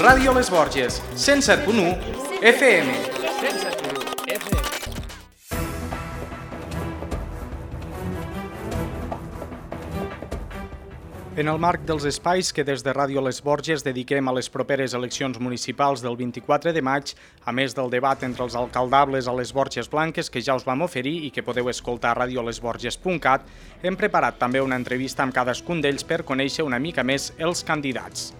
Ràdio Les Borges, 107.1 FM. En el marc dels espais que des de Ràdio Les Borges dediquem a les properes eleccions municipals del 24 de maig, a més del debat entre els alcaldables a les Borges Blanques que ja us vam oferir i que podeu escoltar a radiolesborges.cat, hem preparat també una entrevista amb cadascun d'ells per conèixer una mica més els candidats.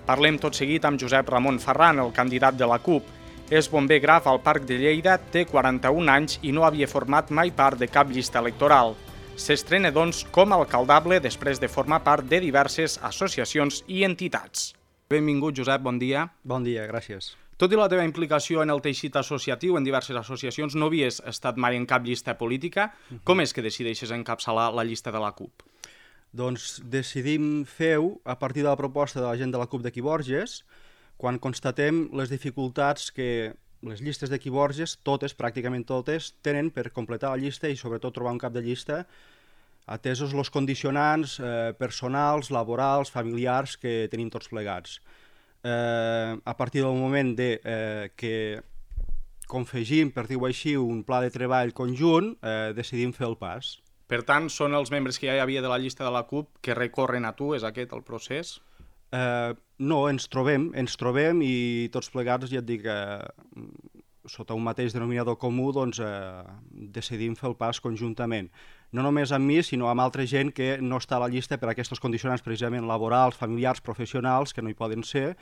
Parlem tot seguit amb Josep Ramon Ferran, el candidat de la CUP. És bomber graf al Parc de Lleida, té 41 anys i no havia format mai part de cap llista electoral. S'estrena, doncs, com a alcaldable després de formar part de diverses associacions i entitats. Benvingut, Josep, bon dia. Bon dia, gràcies. Tot i la teva implicació en el teixit associatiu, en diverses associacions, no havies estat mai en cap llista política. Com és que decideixes encapçalar la llista de la CUP? Doncs decidim fer-ho a partir de la proposta de la gent de la CUP d'aquí Borges, quan constatem les dificultats que les llistes d'aquí Borges, totes, pràcticament totes, tenen per completar la llista i sobretot trobar un cap de llista, atesos els condicionants personals, laborals, familiars que tenim tots plegats. A partir del moment que confegim, per dir-ho així, un pla de treball conjunt, decidim fer el pas. Per tant, són els membres que ja hi havia de la llista de la CUP que recorren a tu, és aquest el procés? No, ens trobem i tots plegats, ja et dic, sota un mateix denominador comú, doncs decidim fer el pas conjuntament. No només amb mi, sinó amb altra gent que no està a la llista per aquests condicionants precisament laborals, familiars, professionals, que no hi poden ser,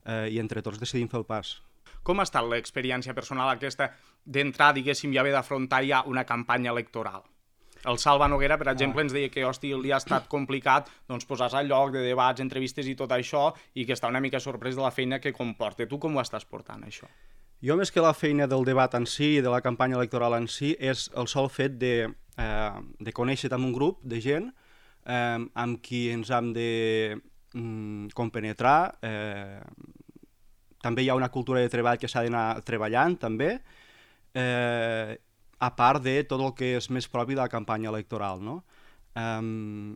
i entre tots decidim fer el pas. Com ha estat l'experiència personal aquesta d'entrar, diguéssim, i haver d'afrontar ja una campanya electoral? El Salva Noguera, per exemple, ens deia que li ha estat complicat posar-se al lloc de debats, entrevistes i tot això, i que està una mica sorprès de la feina que comporta. Tu com ho estàs portant, això? Jo, més que la feina del debat en si i de la campanya electoral en si, és el sol fet de conèixer amb un grup de gent amb qui ens hem de compenetrar. També hi ha una cultura de treball que s'ha d'anar treballant, també, a part de tot el que és més propi de la campanya electoral, no?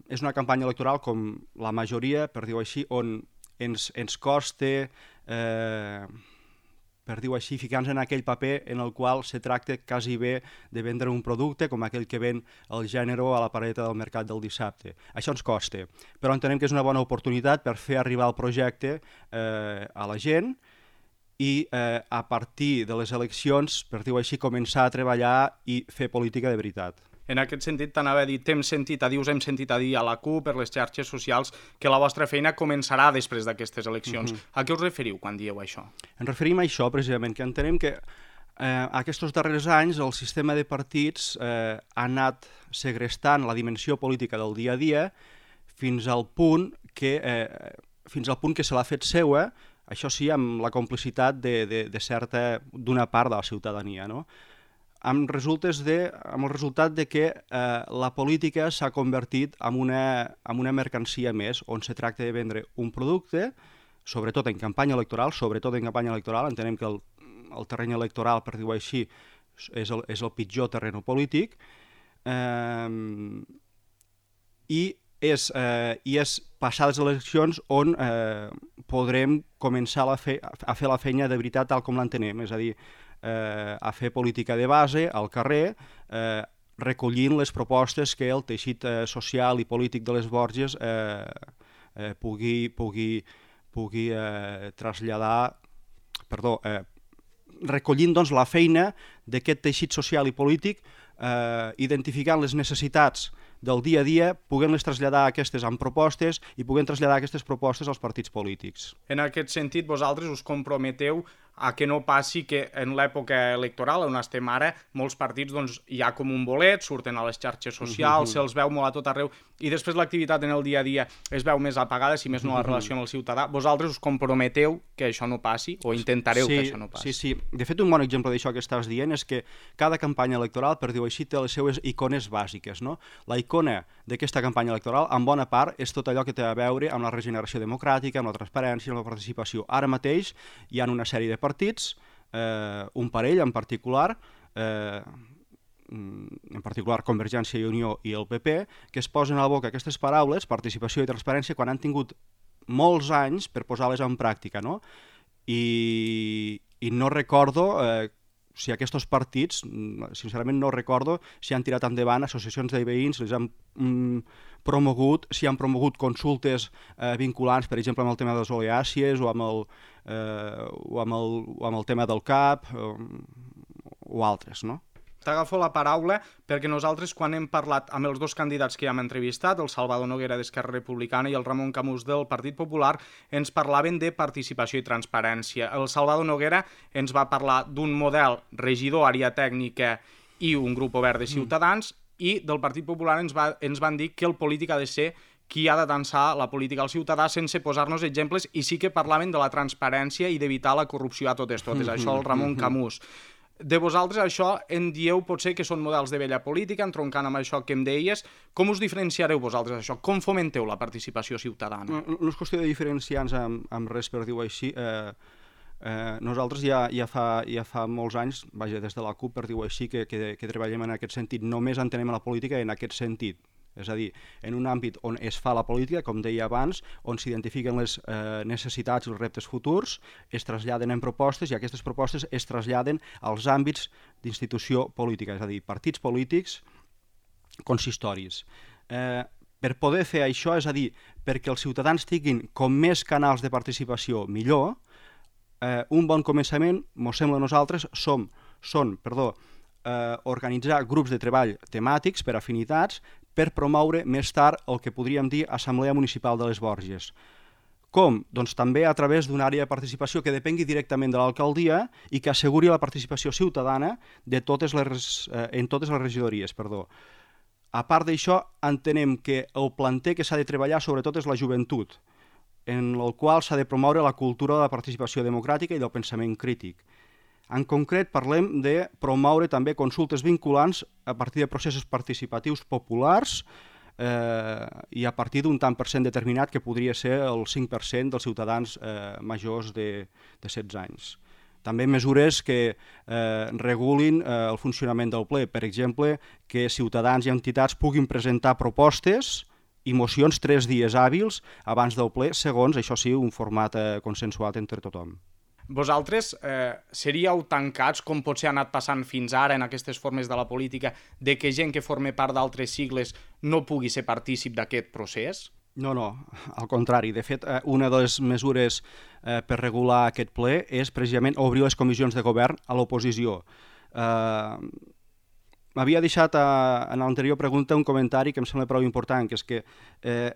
És una campanya electoral, com la majoria, per dir-ho així, on ens costa, per dir-ho així, ficar-nos en aquell paper en el qual se tracta quasi bé de vendre un producte com aquell que ven el gènere a la paradeta del mercat del dissabte. Això ens costa, però entenem que és una bona oportunitat per fer arribar el projecte a la gent i a partir de les eleccions, per dir-ho així, començar a treballar i fer política de veritat. En aquest sentit, t'anava a dir, hem sentit a dir a la CUP, per les xarxes socials, que la vostra feina començarà després d'aquestes eleccions. A què us referiu quan dieu això? Ens referim a això, precisament, que entenem que aquests darrers anys el sistema de partits ha anat segrestant la dimensió política del dia a dia fins al punt que se l'ha fet seua, això sí, amb la complicitat d'una part de la ciutadania, no? Amb el resultat de que la política s'ha convertit en una mercancia més, on se tracta de vendre un producte, sobretot en campanya electoral, entenem que el terreny electoral, per dir-ho així, és el pitjor terreny polític, i és passades les eleccions on podrem començar a fer la feina de veritat tal com l'entenem, és a dir, a fer política de base al carrer, recollint les propostes que el teixit social i polític de les Borges pugui traslladar, recollint doncs la feina d'aquest teixit social i polític, identificant les necessitats del dia a dia, puguem-les traslladar aquestes amb propostes i puguem traslladar aquestes propostes als partits polítics. En aquest sentit, vosaltres us comprometeu a que no passi que en l'època electoral on estem ara, molts partits hi ha com un bolet, surten a les xarxes socials, se'ls veu molt a tot arreu, i després l'activitat en el dia a dia es veu més apagada, si més no la relació amb el ciutadà. Vosaltres us comprometeu que això no passi, o intentareu que això no passi? Sí. De fet, un bon exemple d'això que estàs dient és que cada campanya electoral, per dir-ho així, té les seues icones bàsiques, no? La icona d'aquesta campanya electoral, en bona part, és tot allò que té a veure amb la regeneració democràtica, amb la transparència, amb la participació. Ara mateix hi ha una sèrie de partits, un parell en particular Convergència i Unió i el PP, que es posen a la boca aquestes paraules, participació i transparència, quan han tingut molts anys per posar-les en pràctica, no? i no recordo si aquests partits, sincerament no recordo si han tirat endavant associacions de veïns, les han promogut, si han promogut consultes vinculants, per exemple, amb el tema de les oleàcies o amb el tema del CAP o altres, no? T'agafo la paraula perquè nosaltres, quan hem parlat amb els dos candidats que ja hem entrevistat, el Salvador Noguera d'Esquerra Republicana i el Ramon Camús del Partit Popular, ens parlaven de participació i transparència. El Salvador Noguera ens va parlar d'un model regidor, àrea tècnica i un grup obert de ciutadans, i del Partit Popular ens van dir que el polític ha de ser qui ha de tensar la política al ciutadà, sense posar-nos exemples, i sí que parlaven de la transparència i d'evitar la corrupció a totes. Això el Ramon Camús. De vosaltres això en dieu potser que són models de vella política, entroncant amb això que em deies. Com us diferenciareu vosaltres això? Com fomenteu la participació ciutadana? No és qüestió de diferenciar-nos amb res, per dir-ho així. Nosaltres ja fa molts anys, vaja, des de la CUP, per dir-ho així, que treballem en aquest sentit. Només entenem la política en aquest sentit. És a dir, en un àmbit on es fa la política, com deia abans, on s'identifiquen les necessitats i els reptes futurs, es traslladen en propostes i aquestes propostes es traslladen als àmbits d'institució política, és a dir, partits polítics, consistoris. Per poder fer això, és a dir, perquè els ciutadans tinguin com més canals de participació millor, un bon començament, mos sembla a nosaltres, són organitzar grups de treball temàtics per afinitats per promoure més tard el que podríem dir Assemblea Municipal de les Borges. Com? Doncs també a través d'una àrea de participació que depengui directament de l'alcaldia i que asseguri la participació ciutadana en totes les regidories. A part d'això, entenem que el planter que s'ha de treballar sobretot és la joventut, en el qual s'ha de promoure la cultura de la participació democràtica i del pensament crític. En concret, parlem de promoure també consultes vinculants a partir de processos participatius populars i a partir d'un tant per cent determinat que podria ser el 5% dels ciutadans majors de 16 anys. També mesures que regulin el funcionament del ple. Per exemple, que ciutadans i entitats puguin presentar propostes i mocions 3 dies hàbils abans del ple, segons, això sí, un format consensuat entre tothom. Vosaltres seríeu tancats, com potser ha anat passant fins ara en aquestes formes de la política, de que gent que forma part d'altres sigles no pugui ser partícip d'aquest procés? No, al contrari. De fet, una de les mesures per regular aquest ple és precisament obrir les comissions de govern a l'oposició. M'havia deixat en l'anterior pregunta un comentari que em sembla prou important, que és que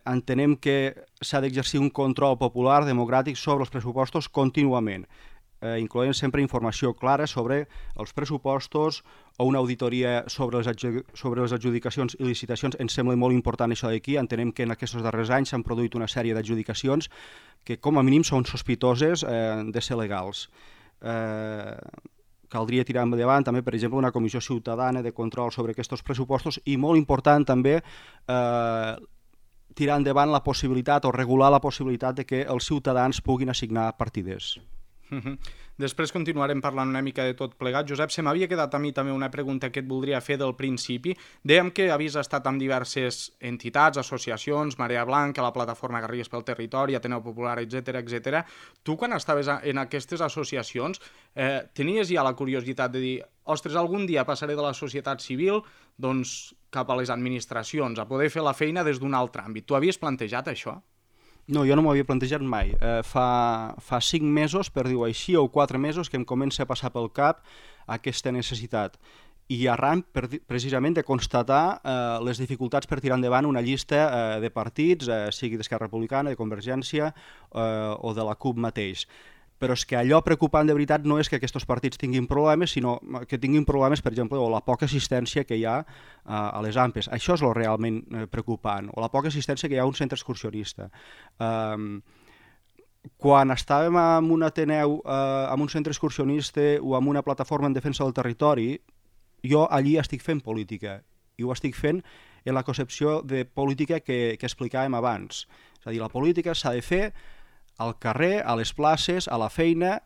entenem que s'ha d'exercir un control popular democràtic sobre els pressupostos contínuament, incloent sempre informació clara sobre els pressupostos o una auditoria sobre les adjudicacions i licitacions. Ens sembla molt important això d'aquí. Entenem que en aquests darrers anys s'han produït una sèrie d'adjudicacions que com a mínim són sospitoses de ser legals. Caldria tirar endavant també, per exemple, una comissió ciutadana de control sobre aquests pressupostos i, molt important també, tirar endavant la possibilitat o regular la possibilitat de que els ciutadans puguin assignar partides. Després continuarem parlant una mica de tot plegat. Josep, se m'havia quedat a mi també una pregunta que et voldria fer del principi. Dèiem que havies estat amb diverses entitats, associacions, Marea Blanca, la Plataforma Garrigues pel Territori, Ateneu Popular, etc. Tu, quan estaves en aquestes associacions, tenies ja la curiositat de dir ostres, algun dia passaré de la societat civil cap a les administracions, a poder fer la feina des d'un altre àmbit. Tu havies plantejat això? No, jo no m'ho havia plantejat mai. Fa 5 mesos, per dir-ho així, o 4 mesos, que em comença a passar pel cap aquesta necessitat. I arran, precisament, de constatar les dificultats per tirar endavant una llista de partits, sigui d'Esquerra Republicana, de Convergència o de la CUP mateix. Però és que allò preocupant de veritat no és que aquests partits tinguin problemes, sinó que tinguin problemes, per exemple, o la poca assistència que hi ha a les AMPEs. Això és el realment preocupant, o la poca assistència que hi ha a un centre excursionista. Quan estàvem en un Ateneu, en un centre excursionista o en una plataforma en defensa del territori, jo allí estic fent política, i ho estic fent en la concepció de política que explicàvem abans. És a dir, la política s'ha de fer al carrer, a les places, a la feina,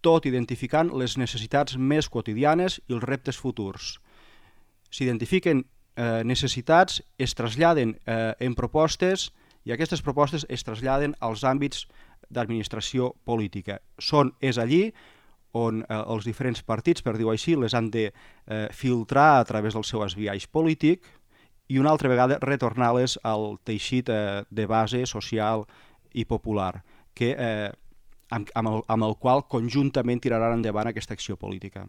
tot identificant les necessitats més quotidianes i els reptes futurs. S'identifiquen necessitats, es traslladen en propostes i aquestes propostes es traslladen als àmbits d'administració política. És allí on els diferents partits, per dir-ho així, les han de filtrar a través del seu esbiaix polític i una altra vegada retornar-les al teixit de base social i popular, amb el qual conjuntament tiraran endavant aquesta acció política.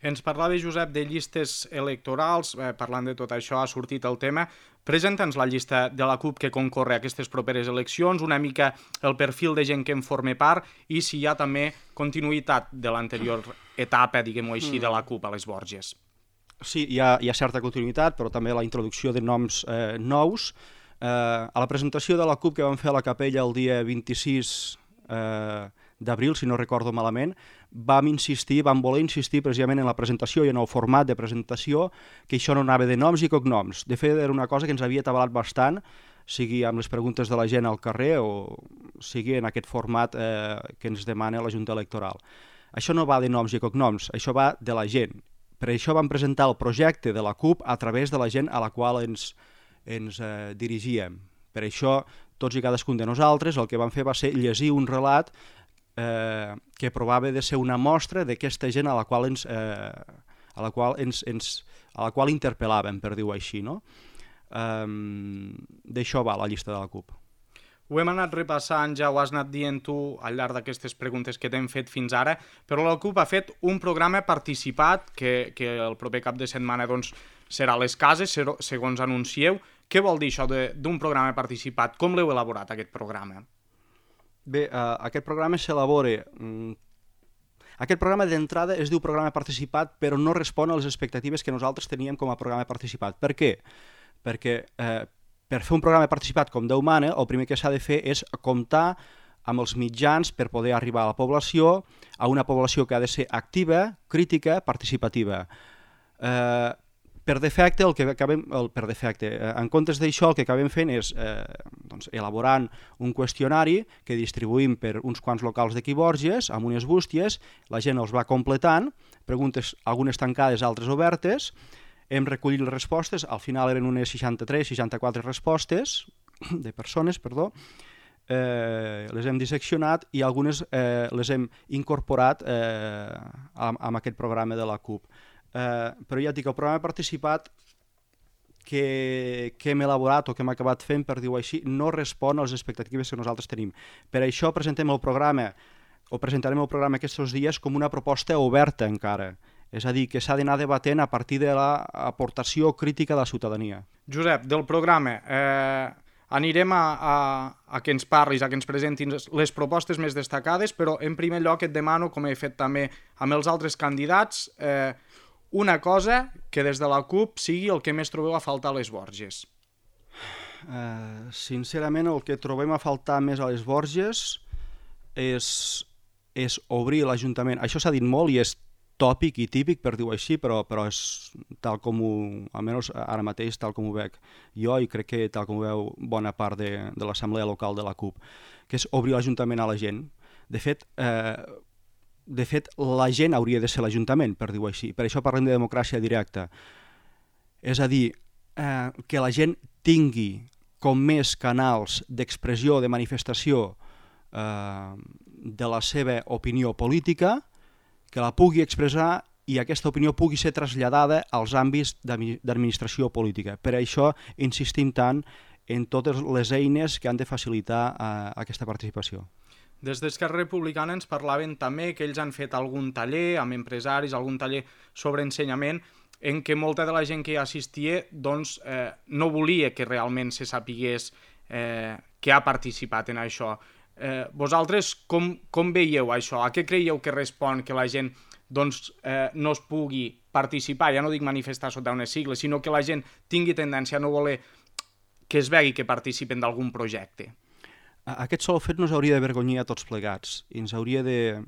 Ens parlava, Josep, de llistes electorals. Parlant de tot això, ha sortit el tema. Presenta'ns la llista de la CUP que concorre a aquestes properes eleccions, una mica el perfil de gent que en forma part i si hi ha també continuïtat de l'anterior etapa, diguem-ho així, de la CUP a les Borges. Sí, hi ha certa continuïtat, però també la introducció de noms nous. A la presentació de la CUP que vam fer a la Capella el dia 26 d'abril, si no recordo malament, vam voler insistir precisament en la presentació i en el format de presentació, que això no anava de noms i cognoms. De fet, era una cosa que ens havia atabalat bastant, sigui amb les preguntes de la gent al carrer o sigui en aquest format que ens demana la Junta Electoral. Això no va de noms i cognoms, això va de la gent. Per això vam presentar el projecte de la CUP a través de la gent a la qual ens dirigíem. Per això, tots i cadascun de nosaltres, el que vam fer va ser llegir un relat que provava de ser una mostra d'aquesta gent a la qual interpel·làvem, per dir-ho així, no? D'això va la llista de la CUP. Ho hem anat repassant, ja ho has anat dient tu al llarg d'aquestes preguntes que t'hem fet fins ara, però la CUP ha fet un programa participat que el proper cap de setmana doncs, serà a les cases, segons anuncieu. Què vol dir això d'un programa participat? Com l'heu elaborat, aquest programa? Bé, aquest programa s'elabora... Aquest programa d'entrada es diu programa participat, però no respon a les expectatives que nosaltres teníem com a programa participat. Per què? Perquè per fer un programa participat com Déu mana, el primer que s'ha de fer és comptar amb els mitjans per poder arribar a la població, a una població que ha de ser activa, crítica, participativa. Per defecte, en comptes d'això, el que acabem fent és elaborant un qüestionari que distribuïm per uns quants locals d'aquí Borges, amb unes bústies, la gent els va completant, preguntes algunes tancades, altres obertes, hem recollit les respostes, al final eren unes 63-64 respostes de persones, les hem disseccionat i algunes les hem incorporat amb aquest programa de la CUP. Però ja et dic, el programa participat que hem elaborat o que hem acabat fent, per dir-ho així, no respon a les expectatives que nosaltres tenim. Per això presentarem el programa aquests dies com una proposta oberta encara, és a dir, que s'ha d'anar debatent a partir de l'aportació crítica de la ciutadania. Josep, del programa, anirem a que ens parlis, a que ens presentin les propostes més destacades, però en primer lloc et demano, com he fet també amb els altres candidats, una cosa que des de la CUP sigui el que més trobeu a faltar a les Borges. Sincerament, el que trobem a faltar més a les Borges és obrir l'Ajuntament. Això s'ha dit molt i és tòpic i típic, per dir-ho així, però és tal com almenys ara mateix, tal com ho veig jo i crec que tal com ho veu bona part de l'Assemblea Local de la CUP, que és obrir l'Ajuntament a la gent. De fet, la gent hauria de ser l'Ajuntament, per dir-ho així. Per això parlem de democràcia directa. És a dir, que la gent tingui com més canals d'expressió, de manifestació de la seva opinió política, que la pugui expressar i aquesta opinió pugui ser traslladada als àmbits d'administració política. Per això insistim tant en totes les eines que han de facilitar aquesta participació. Des d'Esquerra Republicana ens parlaven també que ells han fet algun taller amb empresaris, algun taller sobre ensenyament, en què molta de la gent que hi assistia doncs, no volia que realment se sapigués que ha participat en això. Vosaltres com veieu això? A què creieu que respon que la gent doncs, no es pugui participar? Ja no dic manifestar sota unes sigles, sinó que la gent tingui tendència a no voler que es vegi que participen d'algun projecte. Aquest sol fet nos hauria d'avergonyir a tots plegats i ens hauria de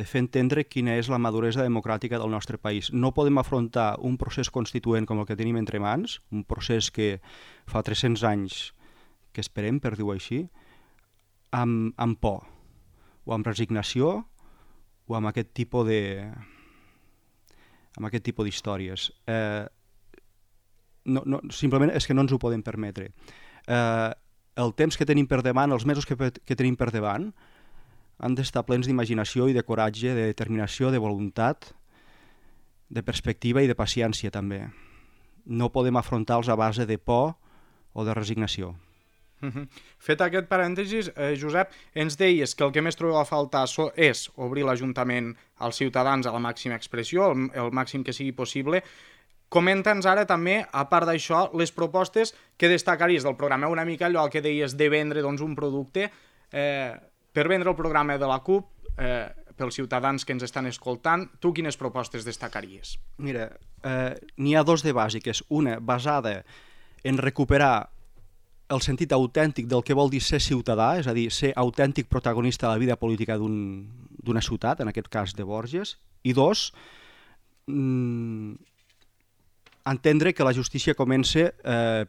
fer entendre quina és la maduresa democràtica del nostre país. No podem afrontar un procés constituent com el que tenim entre mans, un procés que fa 300 anys que esperem, per dir-ho així, amb por, o amb resignació, o amb aquest tipus d'històries. Simplement és que no ens ho podem permetre. el temps que tenim per davant, els mesos que tenim per davant, han d'estar plens d'imaginació i de coratge, de determinació, de voluntat, de perspectiva i de paciència també. No podem afrontar-los a base de por o de resignació. Fet aquest parèntesis, Josep, ens deies que el que més trobeu a faltar és obrir l'Ajuntament als ciutadans a la màxima expressió, el màxim que sigui possible. Comenta'ns ara també, a part d'això, les propostes que destacaries del programa, una mica allò que deies de vendre un producte. Per vendre el programa de la CUP, pels ciutadans que ens estan escoltant, tu quines propostes destacaries? Mira, n'hi ha dos de bàsiques. Una basada en recuperar el sentit autèntic del que vol dir ser ciutadà, és a dir, ser autèntic protagonista de la vida política d'una ciutat, en aquest cas de Borges, i dos, entendre que la justícia comença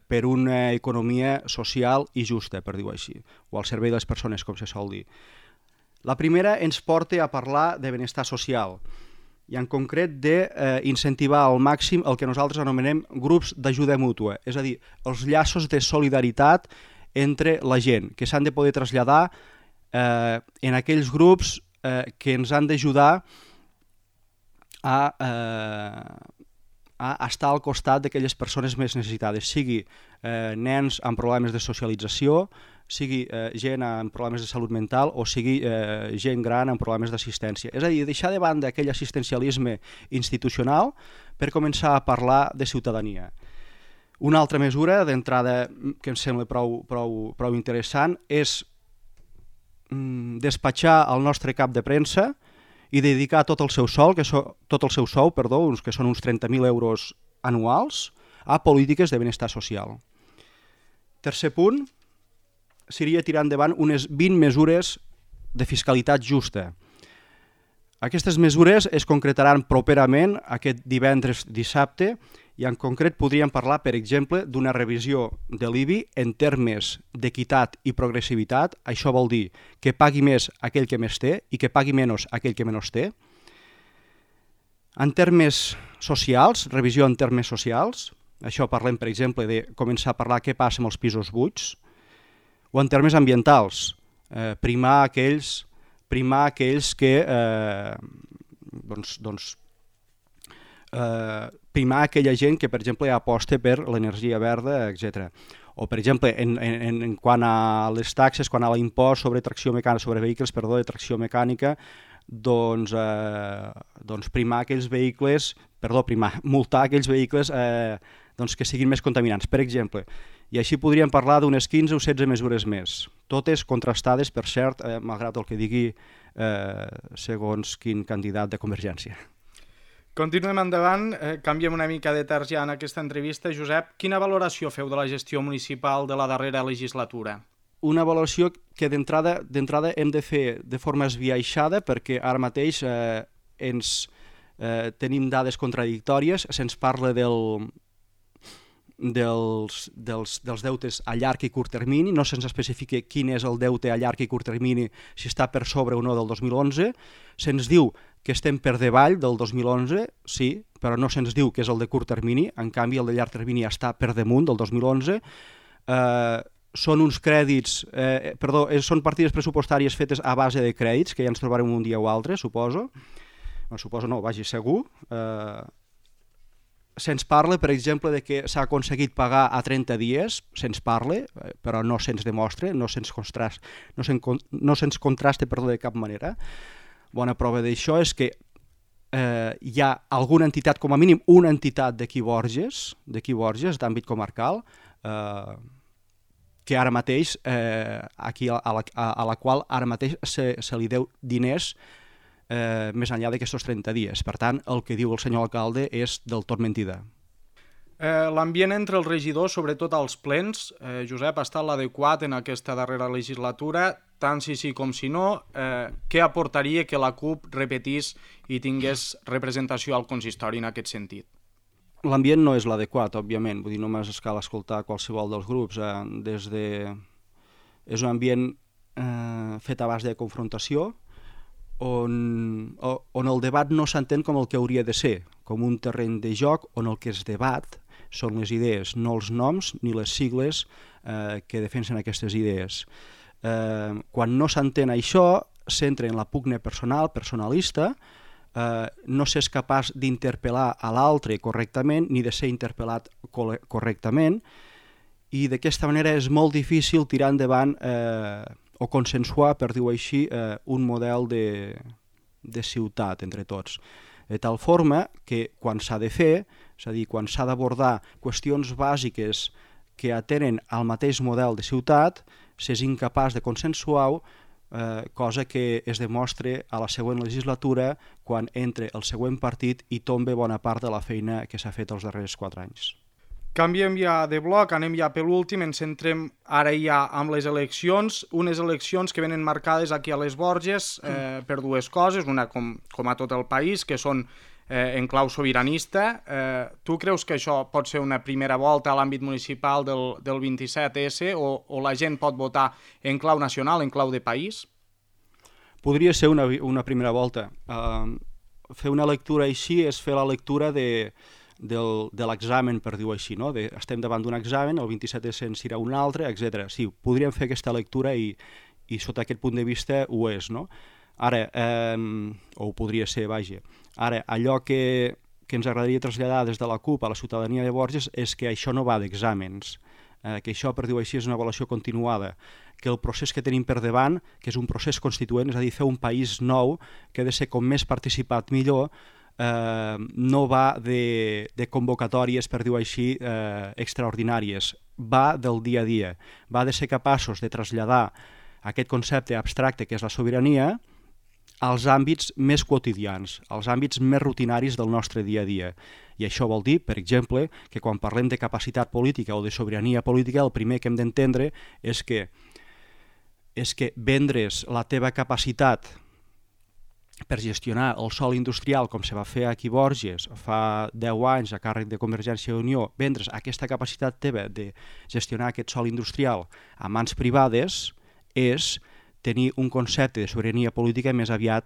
per una economia social i justa, per dir-ho així, o al servei de les persones, com se sol dir. La primera ens porta a parlar de benestar social, i en concret d'incentivar al màxim el que nosaltres anomenem grups d'ajuda mútua, és a dir, els llaços de solidaritat entre la gent, que s'han de poder traslladar en aquells grups que ens han d'ajudar a estar al costat d'aquelles persones més necessitades, sigui nens amb problemes de socialització, sigui gent amb problemes de salut mental o sigui gent gran amb problemes d'assistència. És a dir, deixar de banda aquell assistencialisme institucional per començar a parlar de ciutadania. Una altra mesura d'entrada que em sembla prou interessant és despatxar el nostre cap de premsa i dedicar tot el seu sou, que són uns 30.000 euros anuals, a polítiques de benestar social. Tercer punt, seria tirar endavant unes 20 mesures de fiscalitat justa. Aquestes mesures es concretaran properament aquest divendres, dissabte, i en concret podríem parlar, per exemple, d'una revisió de l'IBI en termes d'equitat i progressivitat. Això vol dir que pagui més aquell que més té i que pagui menys aquell que menys té. En termes socials, revisió en termes socials, això parlem, per exemple, de començar a parlar què passa amb els pisos buits, o en termes ambientals, primar aquells que primar aquella gent que, per exemple, aposta per l'energia verda, etc. O, per exemple, en quant a les taxes, quan a l'impost sobre tracció mecànica, sobre vehicles, de tracció mecànica, multar aquells vehicles que siguin més contaminants, per exemple. I així podríem parlar d'unes 15 o 16 mesures més, totes contrastades, per cert, malgrat el que digui segons quin candidat de Convergència. Continuem endavant, canviem una mica de terç ja en aquesta entrevista. Josep, quina valoració feu de la gestió municipal de la darrera legislatura? Una valoració que d'entrada hem de fer de forma esbiaixada, perquè ara mateix tenim dades contradictòries. Se'ns parla dels deutes a llarg i curt termini, no se'ns especifica quin és el deute a llarg i curt termini, si està per sobre o no del 2011, se'ns diu que estem per davall del 2011, sí, però no se'ns diu que és el de curt termini, en canvi el de llarg termini està per damunt del 2011, són uns crèdits, són partides pressupostàries fetes a base de crèdits, que ja ens trobarem un dia o altre, suposo, segur. Se'ns parla, per exemple, de que s'ha aconseguit pagar a 30 dies, se'ns parla, però no se'ns demostra, no se'ns contrasta de cap manera. Bona prova d'això és que hi ha alguna entitat, com a mínim una entitat d'aquí Borges, d'àmbit comarcal, que ara mateix, a la qual ara mateix se li deu diners més enllà d'aquests 30 dies. Per tant, el que diu el senyor alcalde és del tot mentida. L'ambient entre els regidors, sobretot als plens, Josep, ha estat l'adequat en aquesta darrera legislatura, tant si sí com si no. Què aportaria que la CUP repetís i tingués representació al consistori en aquest sentit? L'ambient no és l'adequat, òbviament, vull dir, només cal escoltar qualsevol dels grups. És un ambient fet a base de confrontació, on el debat no s'entén com el que hauria de ser, com un terreny de joc on el que es debat són les idees, no els noms ni les sigles que defensen aquestes idees. Quan no s'entén això, s'entra en la pugna personal, personalista, no s'és capaç d'interpel·lar a l'altre correctament ni de ser interpel·lat correctament, i d'aquesta manera és molt difícil tirar endavant o consensuar, per dir-ho així, un model de ciutat entre tots. De tal forma que quan s'ha de fer, és a dir, quan s'ha d'abordar qüestions bàsiques que atenen al mateix model de ciutat, s'és incapaç de consensuar-ho, cosa que es demostra a la següent legislatura quan entra el següent partit i tomba bona part de la feina que s'ha fet els darrers 4 anys. Canviem ja de bloc, anem ja per l'últim, ens centrem ara ja amb les eleccions, unes eleccions que venen marcades aquí a les Borges per dues coses, una com a tot el país, que són en clau sobiranista. Tu creus que això pot ser una primera volta a l'àmbit municipal del 27S o la gent pot votar en clau nacional, en clau de país? Podria ser una primera volta. Fer una lectura així és fer la lectura de l'examen, per dir-ho així, no? Estem davant d'un examen, el 27S en serà un altre, etc. Sí, podríem fer aquesta lectura i sota aquest punt de vista ho és, no? Ara, o ho podria ser, vaja. Ara, allò que ens agradaria traslladar des de la CUP a la ciutadania de Borges és que això no va d'exàmens, que això, per dir-ho així, és una avaluació continuada, que el procés que tenim per davant, que és un procés constituent, és a dir, fer un país nou, que ha de ser com més participat millor, no va de convocatòries, per dir-ho així, extraordinàries, va del dia a dia, va de ser capaços de traslladar aquest concepte abstracte que és la sobirania als àmbits més quotidians, als àmbits més rutinaris del nostre dia a dia. I això vol dir, per exemple, que quan parlem de capacitat política o de sobirania política, el primer que hem d'entendre és que vendre's la teva capacitat per gestionar el sòl industrial, com se va fer aquí a Borges fa 10 anys a càrrec de Convergència i Unió, vendre's aquesta capacitat teva de gestionar aquest sòl industrial a mans privades és tenir un concepte de sobirania política més aviat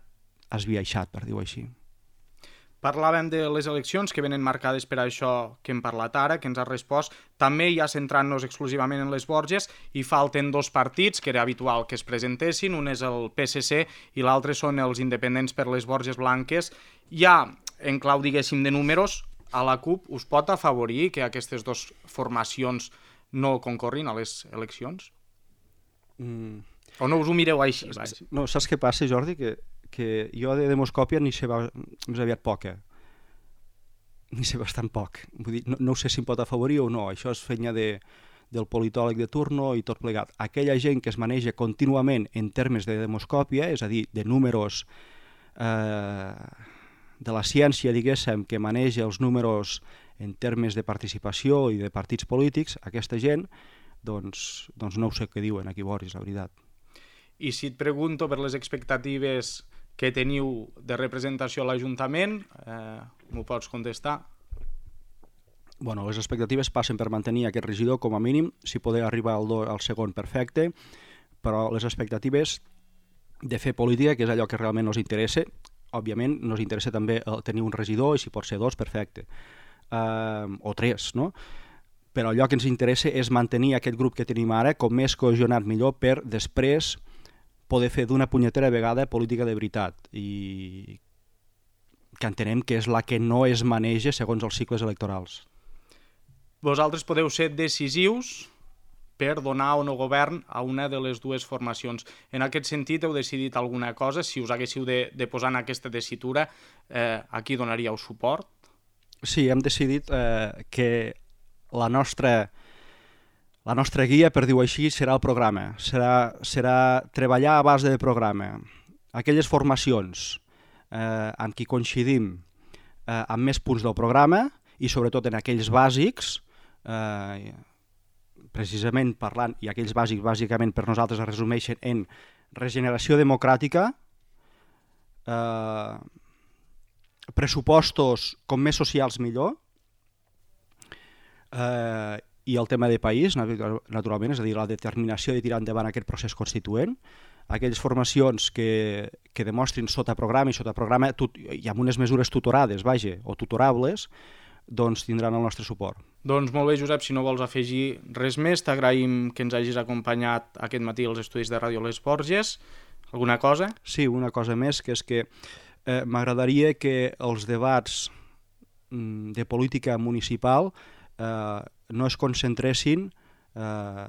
esbiaixat, per dir-ho així. Parlàvem de les eleccions que venen marcades per això que hem parlat ara, que ens ha respost. També ja centrant-nos exclusivament en les Borges, hi falten 2 partits que era habitual que es presentessin, un és el PSC i l'altre són els independents per les Borges Blanques. Ja, en clau, diguéssim, de números, a la CUP us pot afavorir que aquestes 2 formacions no concorrin a les eleccions? O no us ho mireu així? No, saps què passa, Jordi? Que jo de demoscòpia ni sé més aviat poca. Ni sé bastant poc. Vull dir, no sé si em pot afavorir o no. Això és feina del politòleg de turno i tot plegat. Aquella gent que es maneja contínuament en termes de demoscòpia, és a dir, de números de la ciència, diguéssim, que maneja els números en termes de participació i de partits polítics, aquesta gent, doncs no ho sé què diuen aquí a Borges, la veritat. I si et pregunto per les expectatives que teniu de representació a l'Ajuntament, m'ho pots contestar? Bueno, les expectatives passen per mantenir aquest regidor com a mínim, si poder arribar al segon perfecte, però les expectatives de fer política, que és allò que realment ens interessa, òbviament ens interessa també tenir un regidor i si pot ser 2, perfecte, o 3, no? Però allò que ens interessa és mantenir aquest grup que tenim ara com més cohesionat millor per després poder fer d'una punyetera vegada política de veritat i que entenem que és la que no es maneja segons els cicles electorals. Vosaltres podeu ser decisius per donar o no govern a una de les 2 formacions. En aquest sentit, heu decidit alguna cosa? Si us haguéssiu de posar en aquesta tessitura, a qui donaríeu suport? Sí, hem decidit que la nostra guia, per dir-ho així, serà el programa. Serà treballar a base de programa. Aquelles formacions amb qui coincidim amb més punts del programa i sobretot en aquells bàsics, precisament parlant, i aquells bàsics bàsicament per nosaltres es resumeixen en regeneració democràtica, pressupostos com més socials millor, i el tema de país, naturalment, és a dir, la determinació de tirar endavant aquest procés constituent, aquelles formacions que demostrin sota programa i amb unes mesures tutorades, o tutorables, doncs tindran el nostre suport. Doncs molt bé, Josep, si no vols afegir res més, t'agraïm que ens hagis acompanyat aquest matí als estudis de Ràdio Les Borges. Alguna cosa? Sí, una cosa més, que és que m'agradaria que els debats de política municipal no es concentressin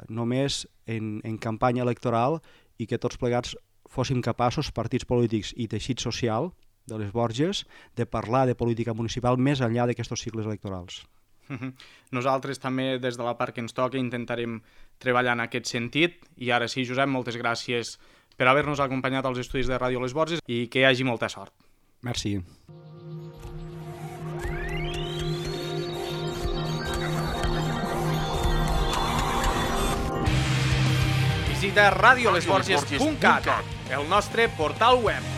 només en campanya electoral i que tots plegats fóssim capaços, partits polítics i teixit social de les Borges, de parlar de política municipal més enllà d'aquests cicles electorals. Nosaltres també, des de la part que ens toca, intentarem treballar en aquest sentit. I ara sí, Josep, moltes gràcies per haver-nos acompanyat als estudis de Ràdio Les Borges i que hi hagi molta sort. Merci. Visita radiolesborges.cat, el nostre portal web.